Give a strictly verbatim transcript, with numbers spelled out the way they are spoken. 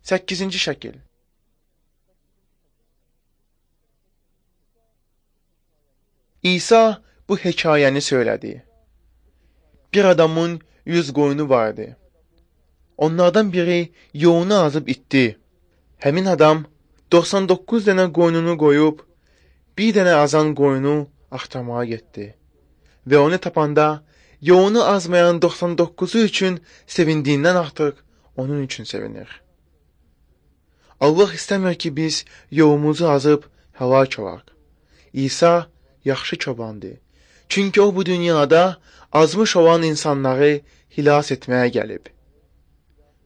səkkizinci şəkil. İsa bu hekayəni söylədi. Bir adamın yüz qoyunu vardı. Onlardan biri yoğunu azıb itdi. Həmin adam doxsan doqquz dənə qoyununu qoyub, bir dənə azan qoyunu axtarmağa getdi. Və onu tapanda, yoğunu azmayan doxsan doqquzu üçün sevindiyindən artıq onun üçün sevinir. Allah istəmir ki, biz yoğumuzu azıb həlak olaq. İsa yaxşı çobandır. Çünki o bu dünyada azmış olan insanları xilas etməyə gəlib.